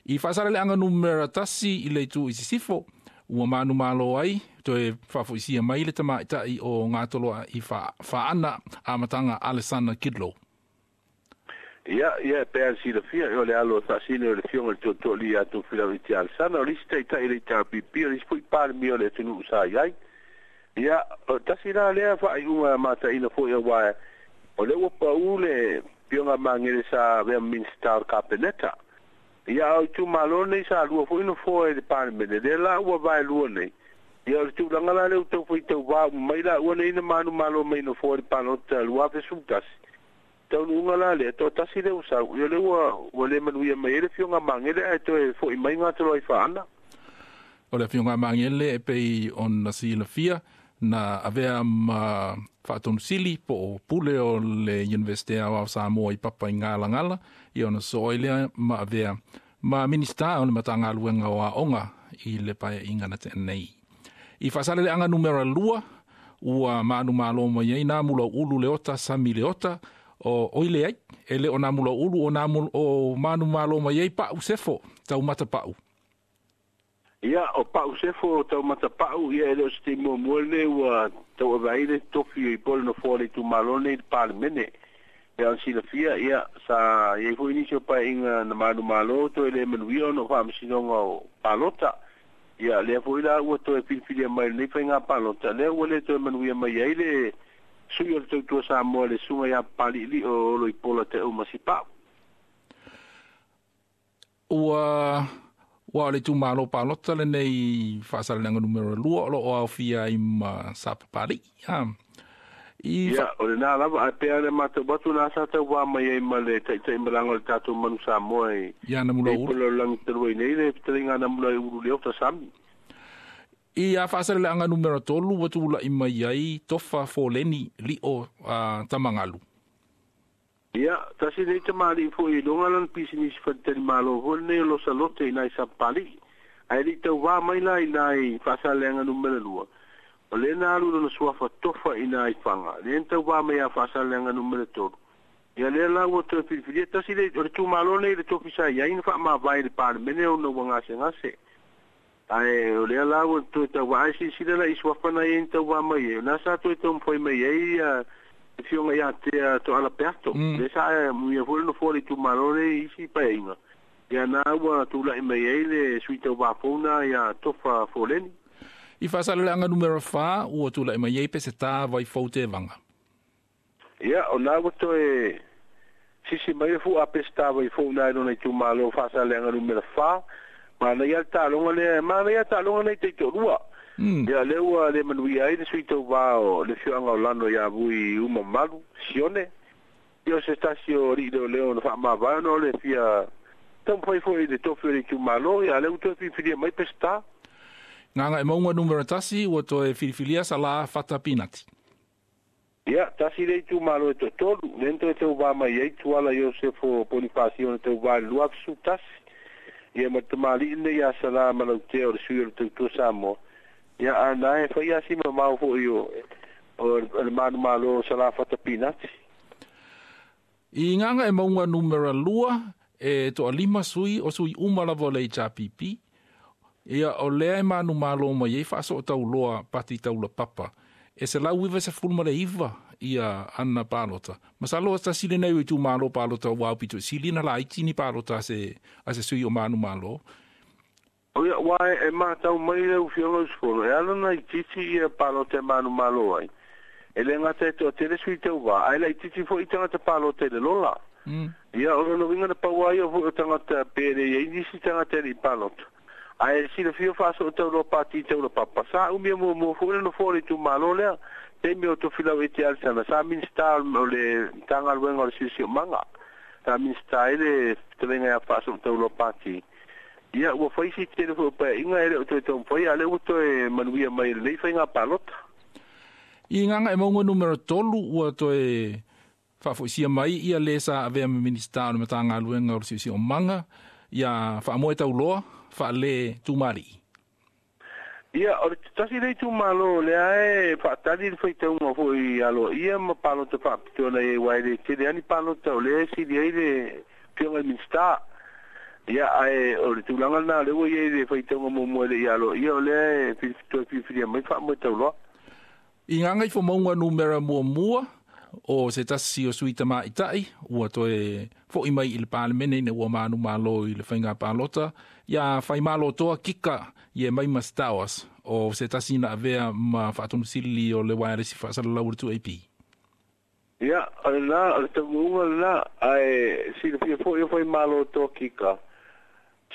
I Faasaleleaga 1 i le itu i Sisifo, ua manumalo ai toe faafoisia mai le tamaʻitaʻi o Gatoloa i Faana Amataga Alesana Kidlow. Ia, pe a silafia o le alo faasine o le fioga le Tootooalii ia Tofilau Alesana o le isi ta'ita'i le HRPP o le isi fo'i palemia o le atunuu sa i ai. Ia o tasi la lea faaiuga mataina fo'i auā o lea ua pa'u le fioga Magele sa avea Minisita o le Kapeneta. Ia o itumalo nei sa lua fo'i nofoa i le Palemene lea la ua vaelua nei. Ia o le tulaga la lea ua tau faitauvā uma mai laua nei na manumalo mai nofoa i le palota 2011. Taunuuga la lea toatasi lea ua sau ia lea ua le manuia mai ai le fioga Magele ae toe fo'i mai Gatoloai Faana. O le afioga Magele e pei ona silafia na avea ma faatonusili po o pule o le Universite Aoao Samoa i papa i Galagala ia ona soo ai lea ma avea ma Minista o le Matagaluega o Aoga i le paeaiga na tea nei. I Faasaleleaga 2 ua manumalo mai ai na Mulauulu Leota Sami Leota o oi leai e le o nā Mulaulu o nā o manumalo mai ai Pa'u Sefo Taumata Pa'u. Ia o Pa'u Sefo Taumata Pa'u ia e le o se taimi muamua lenei ua tauavaai le tofi i po le nofoa le itumalo nei i le Palemene. E ona silafia ia sa iai fo'i nisi o paeaiga na manumalo toe le manuia ona o faamasinoga o palota. Ia lea fo'i la ua toe filifilia mai lenei faigā palota lea ua le toe manuia mai ai le sui o le Tautua Samoa le susuga iā Papali'ili'o o Oloipola Te'u Masipa'u. Ua o le itumalo palota lenei Faasaleleaga 2 o loo aofia ai ma Sapapali'i a. I Ia o lenā lava ae pea le matau atu na sa tauvā mai ai ma le taʻitaʻi malaga o le tatou manu Samoa i ia na Mulaulu. I lalolagi talu ai nei le fetalaiga Namulauulu Leota Sami. I a Faasaleleaga 3 ua tula'i mai ai Tofa Foleni Li'o Tamagalu. Ia tasi nei tamalii fo'i i luga lana pisinisi faletalimalo foi lenei o Losalote i nai Sapapali'i. Ae le'i tauvā mai la i nai Faasaleleaga 2 o lea na alu lona suafa Tofa i nai Faga lea na tauvā mai a Faasaleleaga 3. Ia lea la ua toe filifilia tasi le o le tumalo nei le tofi sa iai na faamavae i le Palemene ona ua gasegase. Ae o lea la ua toe tauvā ae silasila la i suafa na iai na tauvā mai ai o na sa toe taumafai mai ai ia le fioga ia Tea Toala Peato. Lea sa muia foi le nofoa le itumalo nei isi paeaiga. Ia na ua tula'i mai ai le sui tauvā founa ia Tofa Foleni. I Faasaleleaga numera 4 ua tula'i mai ai Peseta Vaifou Tevaga. Ia o na ua toe sisi mai le fu'a Peseta Vaifou na i lona itumālō Faasaleleaga numera 4, manaia le taaloga lea, manaia taaloga nei taitoalua. Ia lea ua le manuia ai le sui tauvā o le afioaga o Lano iā Vui uma malu Sione. Ia o se tasi o alii leoleo na faamavae ona o le fia taumafai foi i le tofi o le itumālō. Ia lea ua toe filifilia mai Peseta. Gagaemauga numera 1 ua toe filifilia Salā Fata Pinati. Ia, tasi le itumālō e toatolu, lea na toe tauvā mai ai Tuala Iosefo Ponifasio na tauvā i le 2011. Ia ma le tamalii lenei ia Salā Malautea o le sui o le Tautua Samoa. Ia a na e fai asi mamao foi o le manumālō o Salā Fata Pinati. I Gagaemauga numera 2 e toalima sui o sui uma lava o le HRPP. Ia o lea e manumālō mai ai faasootauloa pati taulapapa. E 199 ia ana palota. Masalo tasi lenei o itumālō palota ua aupito i sili na laiti ni palota a se sui o manumālō. O ia, ua e matau mai le ufioga usufono, e ala na itiiti ia palota e manumālō ai. E le gata e toatele sui tauvā, ae laitiiti fo'i tagata palota i le lola. Ia o lona uiga na pau ai o fo'i o tagata pe le iai nisi tagata e le'i palota. Ae silafia faasootauloa pati taulapapa. Sa umia muamua fo'i le nofoa o le itumālō lea. Taimi o Tofilau Ete Alesana, sa Minista o le Matagaluega o le Siosiomaga. Sa Minista ai le fetalaiga ia faasootauloa pati. Ia ua fai si tele foi o paeaiga e le o toe taumafai, a lea ua toe manuia mai lenei faiga palota. I Gagaemauga numera 3 ua toe faafoisia mai ia le sa avea ma Minista o le Matagaluega o le Siosiomaga ia Faamoe Tauloa faale Tumalii. Ia, o le tasi le itumālō lea e faatali le faitauga foi aloaia ma palota faapitoa na iai uae le tele ani palota o lea e sili ai le afioga i le Minista. Ia, ae o le tulaga lena lea ua iai le faitauga muamua e le'i aloaia o lea e toe filifilia mai Faamoe Tauloa. I Gagaifomauga numera 1 o se tasi o sui tama'itai ua toe fo'i mai i le Palemene ina ua manumālō i le faiga palota ia Faimalotoa Kika ie mai ma Stowers o se tasi na avea ma faatonusili o le waeresi faasalalau o le 2AP. Ia, o lena, o le taunuuga lena, ae silafia foi o Faimalotoa Kika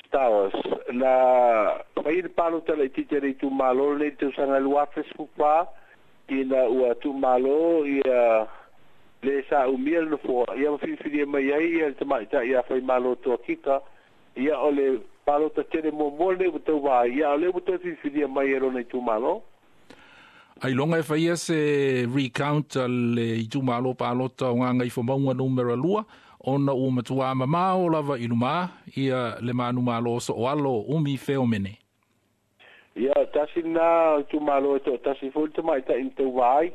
Stowers na fai le palota laitiiti a le itumālō lenei i le tausaga e 2014 ina ua tuumālō ia le sa umia le nofoa, ia ma filifilia mai ai ia le tama'itai ia Faimalotoa Kika. Ia o le palota tele muamua lenei ua tauvā ai, ia o lea ua toe filifilia mai e lona itumālō. Ailoga e faia se recount a le itumālō palota o Gagaifomauga numera 2 ona ua matuā mamao lava i lumā ia le manumālō so'oalo Umi Feomene. Ia, tasi lena itumālō e to'atasi foi le tama'itai na tauvā ai,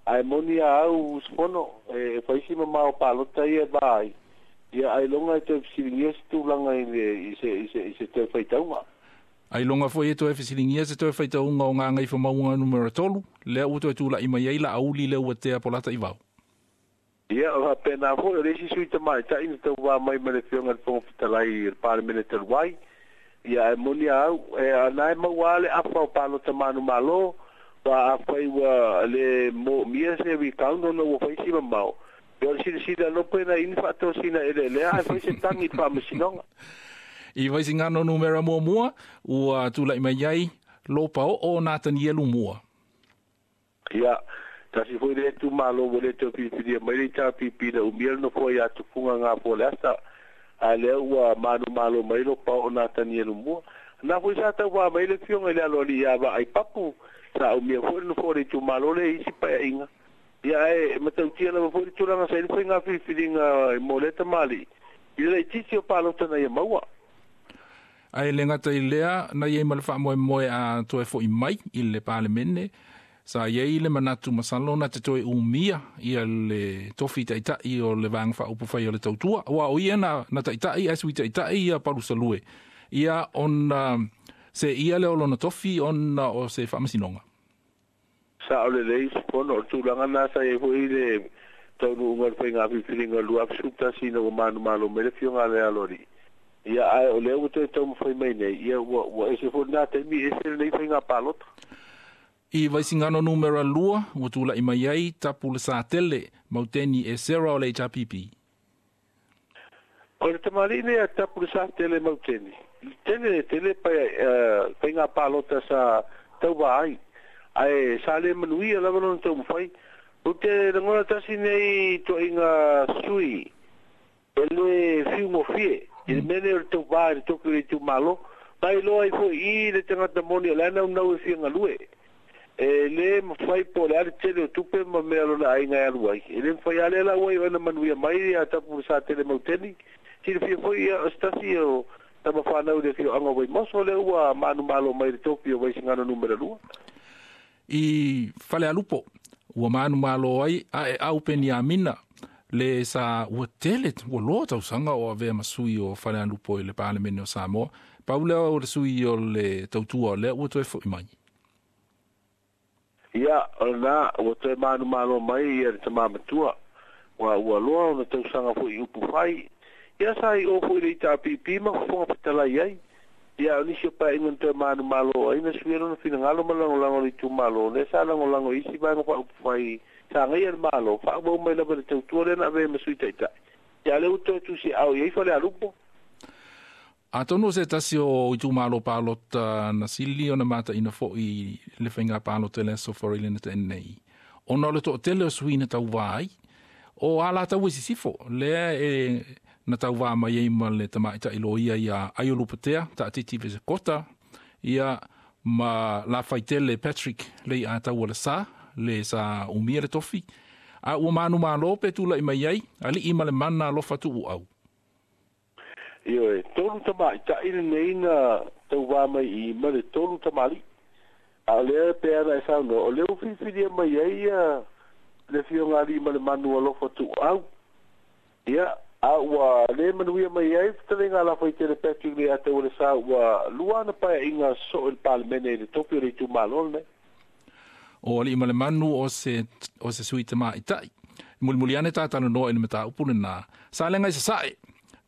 ae moni a au usufono e faisi mamao palota ia e va ai. Ia ailoga e toe fesiligia se tulaga i le i se i se i se toe faitauga. Ailoga foi e toe fesiligia se toe faitauga o Gagaifomauga numera 3, lea ua toe tula'i mai ai Laauli Leuatea Polataivao. Ia, o faapena foi o le isi sui tama'itai na tauvā mai ma le afioga i le Fofoga Fetalai i le Palemene talu ai. Ia, ae moni a au, e ana e maua lava le afa o palota manumālō, aua afai ua le moomia se recount ona ua fai si mamao, ia o le silasila lopo e nai ini faatosina eleelea ae fai se tagi i le faamasinoga. I Vaisigano numera 1 ua tula'i mai ai Lopaoo Natanielu Mua. Ia, tasi foi lea itumālō ua le toe filifilia mai le HRPP na umia le nofoa iā Tufuga Gafoaleasa, ae lea ua manumālō mai Lopaoo Natanielu Mua. Na foi sa tauvā mai le afioga i le aloalii ia Vaai Papu, sa umia foi le nofoa o le itumālō lea i isi paeaiga. Ia, ae matautia lava foi le tulaga sa i le faiga filifiliga mo lea tamalii i le laitiiti o palota na ia maua. Ae le gata i lea, na iai ma le faamoemoe a toe fo'i mai i le Palemene, sa iai le manatu masalo na te toe umia ia le tofi ta'ita'i o le Vaega Faaupufai o le Tautua, auā o ia na ta'ita'i ae sui ta'ita'i ia Palusalue, ia ona se'ia lea o lona tofi ona o se faamasinoga. Sa'o lelei usufono, o le tulaga lena sa iai foi le taunuuga o le faiga filifiliga o le 2011 ina ua manumalo mai le afioga a le Aloalii. Ia, ae o lea ua toe taumafai mai nei, ia ua ese foi lena taimi, ese lenei faiga palota. I Vaisigano numera 2, ua tula'i mai ai Tapulesatele Mauteni Esera o le HRPP. O le tamalii lea Tapulesatele Mauteni, tele tele faiga palota sa tauvā ai, ae sa le manuia lava lona taumafai. Ou te lagona tasi nei toaiga sui e le fiugofie i le mea nei o le tauvā i le tofi o le itumalo, mailoa ai fo'i i le tagata moni o le a naunau e fia galue. E lē mafai po o le a le tele o tupe ma mea lona aiga e alu ai. E lē mafai a lea la ua iu na manuia mai ia Tapulesatele Mauteni. Silafia foi ia o se tasi o tama fanau i le afioaga o Vaimoso lea ua manumalo mai le tofi o Vaisigano numera 2. I Falealupo ua manumalo ai Aeau Peniamina le sa ua tele ua loa tausaga o avea ma sui o Falealupo i le Palemene o Samoa. Pau lea o le sui o le tautua o lea ua toe fo'i mai. Ia, o lena ua toe manumalo mai ia le tamā matua. Ua loa ona tausaga fo'i i upu fai. Ia sa i o fo'i le HRPP ma fofoga fetalai ai. Ia o nisi o paeaiga na toe manumalo ai na suia lona finagalo ma lagolago le itumalo lea sa lagolago i isi vaega faaupufai sa agaia le Malo, faaauau mai lava le tautua lea na avea ma sui taitai. Ia o lea ua toe tusiaao i ai Falealupo. Atonu o se tasi o itumalo palota na sili ona mataina fo'i le faiga palota i le aso Faraile na te'a nei, ona o le to'atele o sui na tauvā ai, o Alataua i Sisifo, lea e na tauvā mai ai ma le tamaita'i loia iā Aio Lupatea, Taatiti Vesekota, ia ma Lafaitele Patrick Lei'ataualesā, le sa umia le tofi, a ua manumalo pe tula'i mai ai Alii ma le Mana Alofa Tuuau. Ioe, tolu tamaitai lenei na tauvā mai i i ma le tolu tamalii. A o lea pe ana e saunoa, o lea ua filifilia mai ai ia le Afioga Alii ma le Manu Alofa Tuuau. Ia, a ua le manuia mai ai fetalaiga a Lafaitele Patrick Leiataualesa ua lua ana paeaiga sosoo i le Palemene i le tofi o le itumalo lenei. O Alii ma le Manu o se, o se sui tamaitai. Mulimuli ane tatalanoa i le mataupu lenā. Salega i Sasae,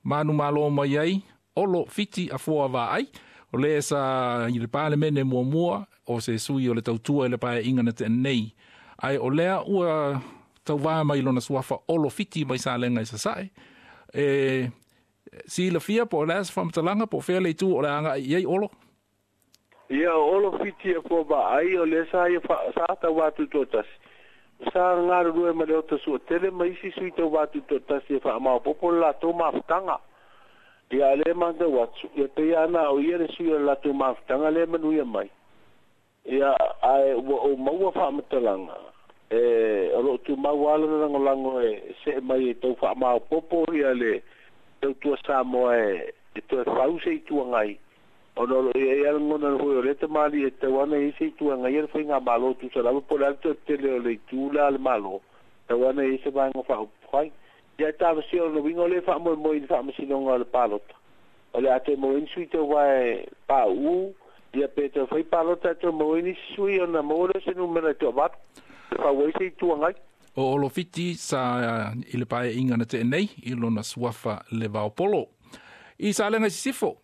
manumalo mai ai, Olo Fiti Afoa Vaai, o le sa i le Palemene muamua o se sui o le tautua i le paeaiga na tea nei. Ae o lea ua tauvā mai lona suafa Olo Fiti mai Salega i Sasae. E silafia po o le a se faamatalaga po o fea le itu o le a agai i ai Olo? Ia, o Olo Fiti Afoa Vaai, o lea sa ia sa tauvā tutoatasi. Sa galulue ma le ota suatele ma isi sui tauvā tutoatasi e faamaopoopo le latou mafutaga. Ia, a o lea e matau atu, ia pei lava na o ia le sui o le latou mafutaga lea e manuia mai. Ia, ae ua ou maua faamatalaga, e, o lo o tumau lava lona lagolago e see mai e tau faamaopoopo ia le tautua Samoa e toe fau se Itu Agai, ona o lo o i ai lava lagona foi o lea tamalii e tatau lava ona i ai se itu e agaia le faigamalo tusa lava po o le a le toe tele o le itu la a le Malo, tatau lava ona i ai se vaega faaupufai. Ia e talosia o lona uiga o lea e faamoemoe i le faamasinoga o le palota, o le a toe maua ai ni sui tauva e pauu, ia pe toe fai palota e toe maua ai nisi sui ona maua lea o se numera e toavalu e fau ai se Itu Agai. O Olofiti sa i le paeaiga na tea nei i lona suafa Levaopolo. I Salega i Sisifo,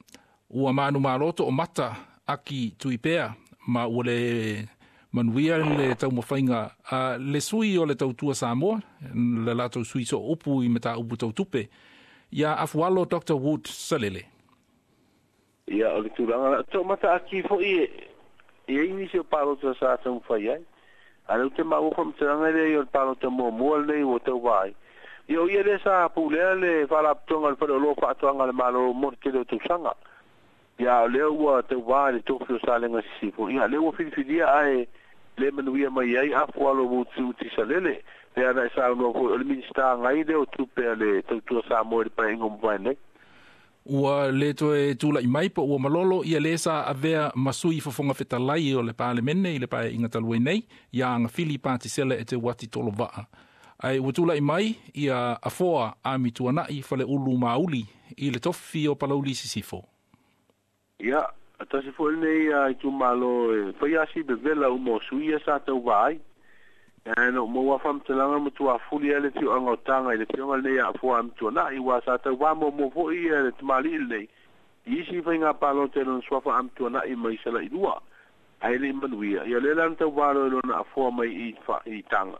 ua manumalo toomata Aki Tuipea ma ua le manuia le taumafaiga a le sui o le Tautua Samoa, le latou sui sooupu i mataupu tau tupe, iā Afualo Doctor Wood Salele. Ia, o le tulaga la, toomata Aki foi e i ai nisi o palota sa taumafai ai. A o lea ou te maua faamatalaga lea o le palota muamua lenei ua tauva ai. Ia o ia lea sa pulea le Faalapotopotoga o le Faleoloa Faatoaga a le Malo mo le tele o tausaga. Ia a o lea ua tauva i le tofi o Salega Sisifo, ia lea ua filifilia ae le manuia mai ai Afualo Utiuti Salele, pei ona e saunoa foi o le Minisita agai lea o Tupe a le Tautua Samoa i le Paeaiga o mavae nei. Ua le toe tula'i mai po ua malolo ia lē sa avea ma sui fofoga fetalai o le Palemene i le paeaiga talu ai nei, iā Agafili Patisela Eteuati Tolova'a. Ae ua tula'i mai ia Afoa Amituana'i Faleulu Mauli i le tofi o Palauli Sisifo. Ia, tasi foi lenei itumalo e fai lava si vevela uma o sui ia sa tauvā ai. Ae na ou maua faamatalaga matua fuli ai le afioaga o Taga i le afioga lenei a Afoa Amituana'i, aua sa tauvā muamua foi ia le tamalii lenei i isi faiga palota i lona suafa Amituana'i mai Salailua. Ae le i manuia ia lea la na tauvalo e lona afoa mai i i taga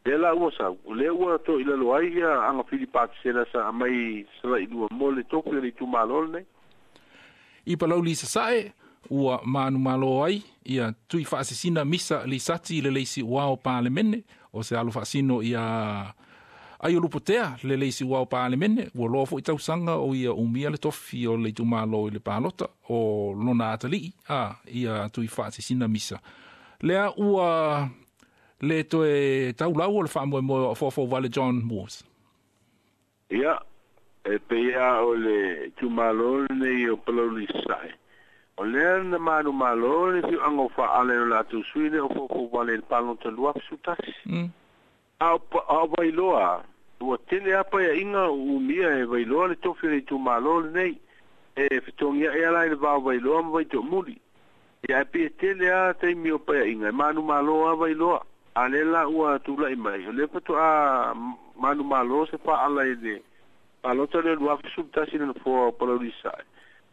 lea la ua sau o lea ua toʻilalo ai ia agafili patisela sa aumai salailua mo le tofi o le itumālo lenei. I Palauli Sasaʻe ua manumalo ai ia tui faasisina Misa Lisati le leisi uao Palemene o se alo faasino ia ai o lupotea le leisi uao Palemene ua loa foʻi tausaga o ia umia le tofi o le itumālo i le palota o lona atalii a ia tui faasisina Misa lea ua le toe taulau o le faamoemoe o afoafou vale John Moores. Ia e peia o le itumālo lenei o Palauli Sasaʻe o lea na manumalo le fiuaga o faaala o latou sui le o foufou vale i le palota 2011. A o Vailoa ua tele a paeaʻiga umia e Vailoa le tofi o le itumālo lenei e fetogiaʻe ala i le vao Vailoa ma Vaitoʻomuli. Ia e pei e tele a taimi o paeaʻiga e manumalo a Vailoa a lea la ua tulaʻi mai o lea faatoa manumalo se faaala i le palota lea 2011 le nofoa o Palauli Sasaʻe.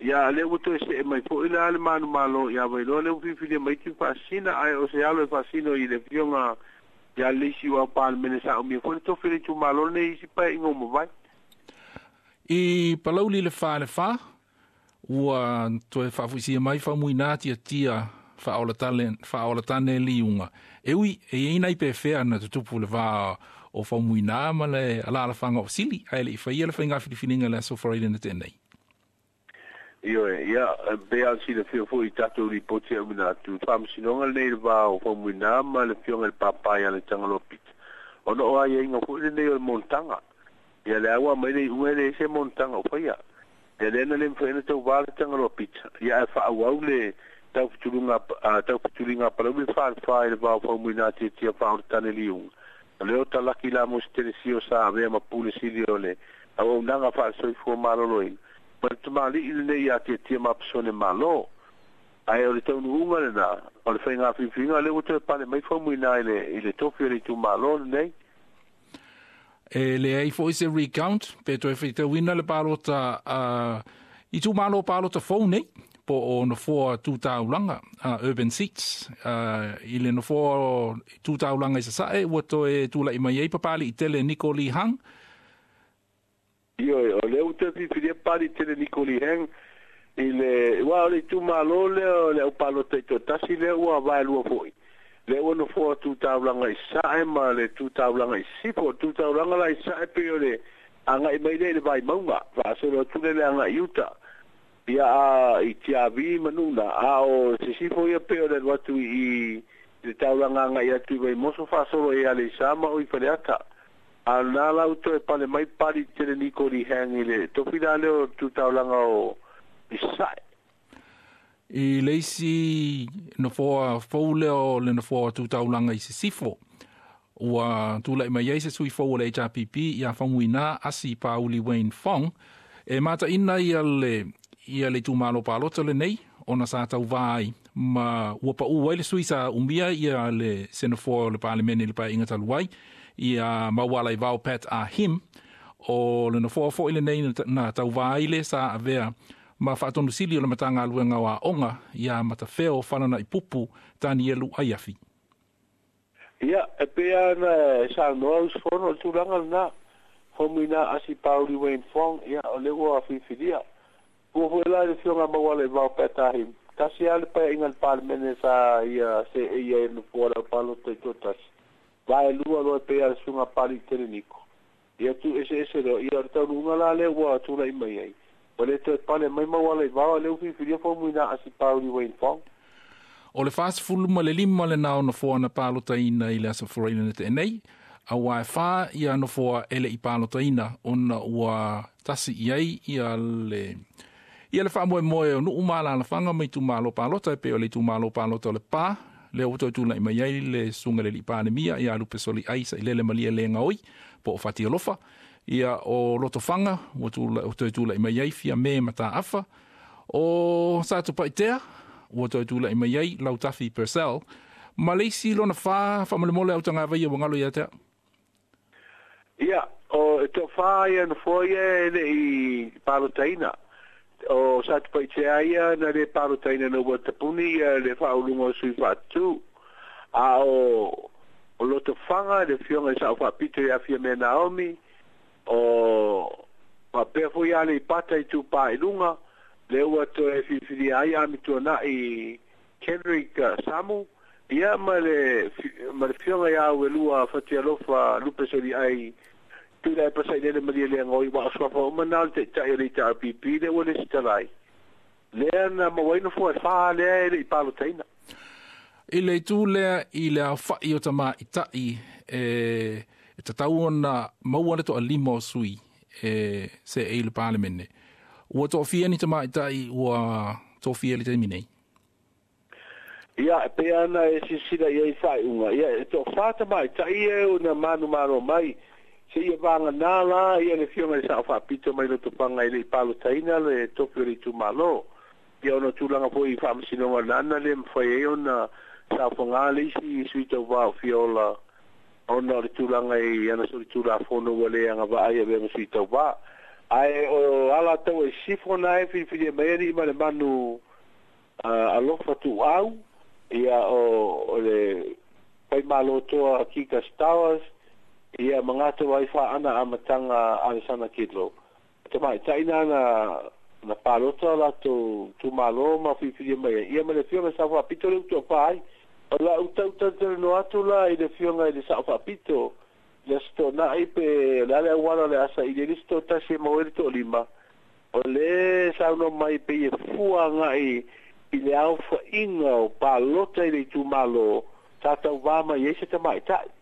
Ia lea ua toe seʻe mai foʻi la le manumalo iā Vailoa lea ua filifilia mai tui faasina ae o se alo e faasino i le afioga ia le isi ua Palemene sa umia foʻi le tofi o le itumālo lenei isi paeaʻiga ua mavae. I Palauli le Fa le Fa ua toe faafuisia mai faumuina tiatia faaolatane liuga e ui e iai nai pefea na tutupu le va o faumuina ma le alalafaga o sili ae leʻi faia le faiga filifiliga le aso Faraile na tenei. Ioe, ia, pe a silafia foʻi i tatou lipoti e auina atu faamasinoga lenei le va o Faumuina ma le afioga i le papae a le Tagaloa Pita ona o aiaiga foʻi lenei o le monotaga. Ia le aua mai le iuga e leai se monotaga o faia. Ia lea na le mafai ona tauvā le Tagaloa Pita ia ae faaauau le taufetuluga taufetuliga a Palauli le Falefa i le va o Faumuina tiatia faaolatane liuga. O lea o talaki la mo se telesio sa avea ma pule sili o le auaunaga faalesoifua maloloina ma le tamalii lenei iā tiatia ma pasone mālō. Ae o le taunuuga lenā o le faiga filifiliga lea ua toe pale mai Faumuina i le i le tofi o le itumālo lenei. E leai foʻi se recount pe toe faitauina le palota a itumālo palota fou nei po o nofoa tu taulaga urban seats i le nofoa tu taulaga i Sasaʻe ua toe tulaʻi mai ai Papaliʻi tele Nico Lee Hang. Ioe, o lea ua toe filifilia Papaliʻi tele Nico Lee Hang i le ua o le itumālo lea o le aupalota i toatasi lea ua vaelua foʻi lea ua nofoa tu taulaga i Sasaʻe ma le tu taulaga i Sisifo. O tu taulaga la i Sasaʻe pei o le agaʻi mai lea i le Vaimauga faasolo atu lea le agaʻi i uta ia a i Tiavi ma Nuna a o Sisifo ia pei o le alu atu i le taulaga agaʻi atu i Vaimoso faasolo i Aleisa ma o i Faleata. A na la ua toe pale mai Papaliʻi tele Nico Lee Hang i le tofi la lea o tu taulaga o i Sasaʻe. I le isi nofoa fou lea o le nofoa tu taulaga i Sisifo ua tulaʻi mai ai se sui fou o le HRPP iā Faumuina Asi Pauli Wayne Fong e mataʻina ia le ia le itumālo palota lenei ona sa tauvā ai ma ua paʻū ai le sui sa umia ia le se nofoa o le Palemene i le paeaiga talu ai ia Maualaivao Pat Ah Him o le nofoa foʻi lenei na tauvā ai le sa avea ma faatonusili o le Matagaluega o Aoga iā Matafeo Falanaʻipupu Tanielu Aiafi. Ia, e pei lava ona e saunoa usufono o le tulaga lenā. Faumuina Asi Pauli Wayne Fong, ia, o lea ua filifilia. Fua foi la i le afioga a Maualaivao Pat Ah Him, tasi lava le paeaiga a le Palemene sa ia seei ai i le nofoa o le aupalota i toatasi. Vaelua loa e pei lava le susuga a Papaliʻi Tele Niko. Ia tuueseese loa, ia o le taunuuga la lea ua tulaʻi mai ai. Ua le toe pale mai Maualaivao a lea ua filifilia Faumuina Asi Pauli Wayne Fong. O le 45 lenā o nofoa na palotaina i le aso Faraile na tea nei, auā e fa ia nofoa e leʻi palotaina ona ua tasi i ai ia le ia le faamoemoe o nuu ma alalafaga ma itumālo palota e pei o le itumālo palota o Lepā lea ua toe tulaʻi mai ai le susuga i le alii Palemia iā Lupesoliai Sailele Malielegaoi po o Fatialofa ia o Lotofaga ua toe tulaʻi mai ai Fiame Mataafa o Satupaitea ua toe tulaʻi mai ai Lautafi Purcell ma le isi lona fa faamolemole autagavaia ua galo ia te au. Ia, o e toafa ia nofoa ia e leʻi palotaina. O Satupaitea ia na lē palotaina na ua tapuni ia le faauluga o sui faatutū a o Lotofaga le afioga i Sa'o Faapito ia Fiame Naomi o faapea foi Aleipata Itupā i Luga lea ua toe filifilia ai Amituana'i Kendrick Samu ia ma le afioga iā Uelua Fatialofa Lupe Soli'ai Tuilaepa Sailele Malielegaoi ua o suafa uma na o le ta'ita'i o le HRPP lea ua lesitala ai lea na mauai nofoa e 4 lea e le'i palotaina. I le itu lea i le aofa'i o tamaʻitaʻi e tatau ona maua le to'alima o sui e seʻei le Palemene. Ua to'afia ni tamaʻitaʻi ua tofia i le taimi nei? Ia, e pei ana e silasila i ai faaiuga, ia e to'afā tamaʻitaʻi e ona manumalo mai seia vaganā la ia le afioga i le Sa'o Faapito mai Lotofaga e le'i palotaina le tofi o le itumālō. Ia ona tulaga foi i faamasinoga lana le mafai ai ona saofagā le isi sui tauvā o fiola ona o le tulaga i ana solitulafono ua le agavaa ai avea ma sui tauvā. Ae o Alataua i Sisifo na e filifilia mai ali'i ma le manu alofa tuuau ia o le faimālōtoa Kika Stowers ia ma gato ai faana amataga Alesana Kidlo. Tamaʻitaʻi na na palota latou tumālō ma filifilia mai ai ia ma le afioga Sa'o Faapito le utoafā ai. O la'u tautalatalanoa atu la i le afioga i le Sa'o Faapito le aso to'ana'i pe o le a le auala o le a saʻili ai le isi toatasi e maua ai le to'alima o lē saunoa mai pei e fua agaʻi i le aofaʻiga o palota i le itumālō sa tauvā mai ai se tamaʻitaʻi.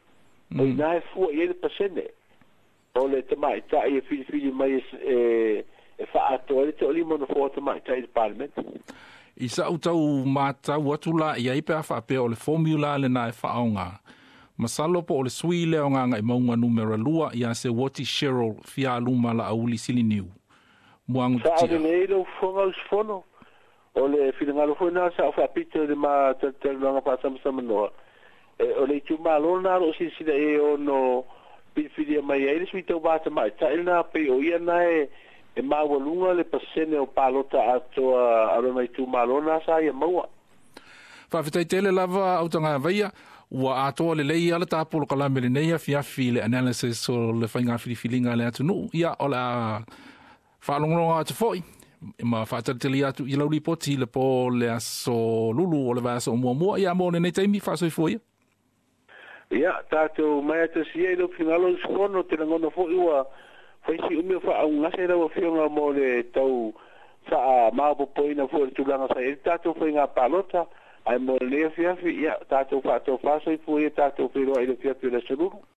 O inā e fua i ai le pasene o le tamaʻitaʻi e filifili mai e faaatoa ai le to'alima o nofoa tamaʻitaʻi i le Palemene. I sa'u tau matau atu la i ai pe a faapea o le formula lenā e faaaogā. Masalo po o le sui lea o Gagaʻimauga numera 2 iā Seuati Cheryl Fialuma Laauli Siliniu. Muagu Sa'o ti'a. Lelei lou fofoga usufono o le finagalo foi lena Sa'o Faapito i le ma talatalanoaga faasamsamanoa e o le itumālō lenā o lo'o silasila i ai ono filifilia mai ai le sui tauvā tamaʻitaʻi lenā pei o ia na e maualuga le pasene o palota atoa a lona itumālō na sa ia maua. Faafetai tele lava Autagavaia ua atoa lelei a le tapolokalame lenei afiafi i le analysis o le faiga filifiliga a le atunuu. Ia o le a faalogologo atu foʻi ma faatalitali atu i lau lipoti i le pō le aso Lulu o le vaiaso o muamua. Ia mo lenei taimi faasoifua ia. Ia tatou mai atasi ai lou finagalo usufono te lagona foʻi ua faisi umi o faaugase lau afioga mo le tau faamaopopoina foi o le tulaga sa i ai le tatou faiga palota ae mo lenei afiafi ia tatou faatofā soifua ia tatou feiloai i le afiafi o le aso Lulu.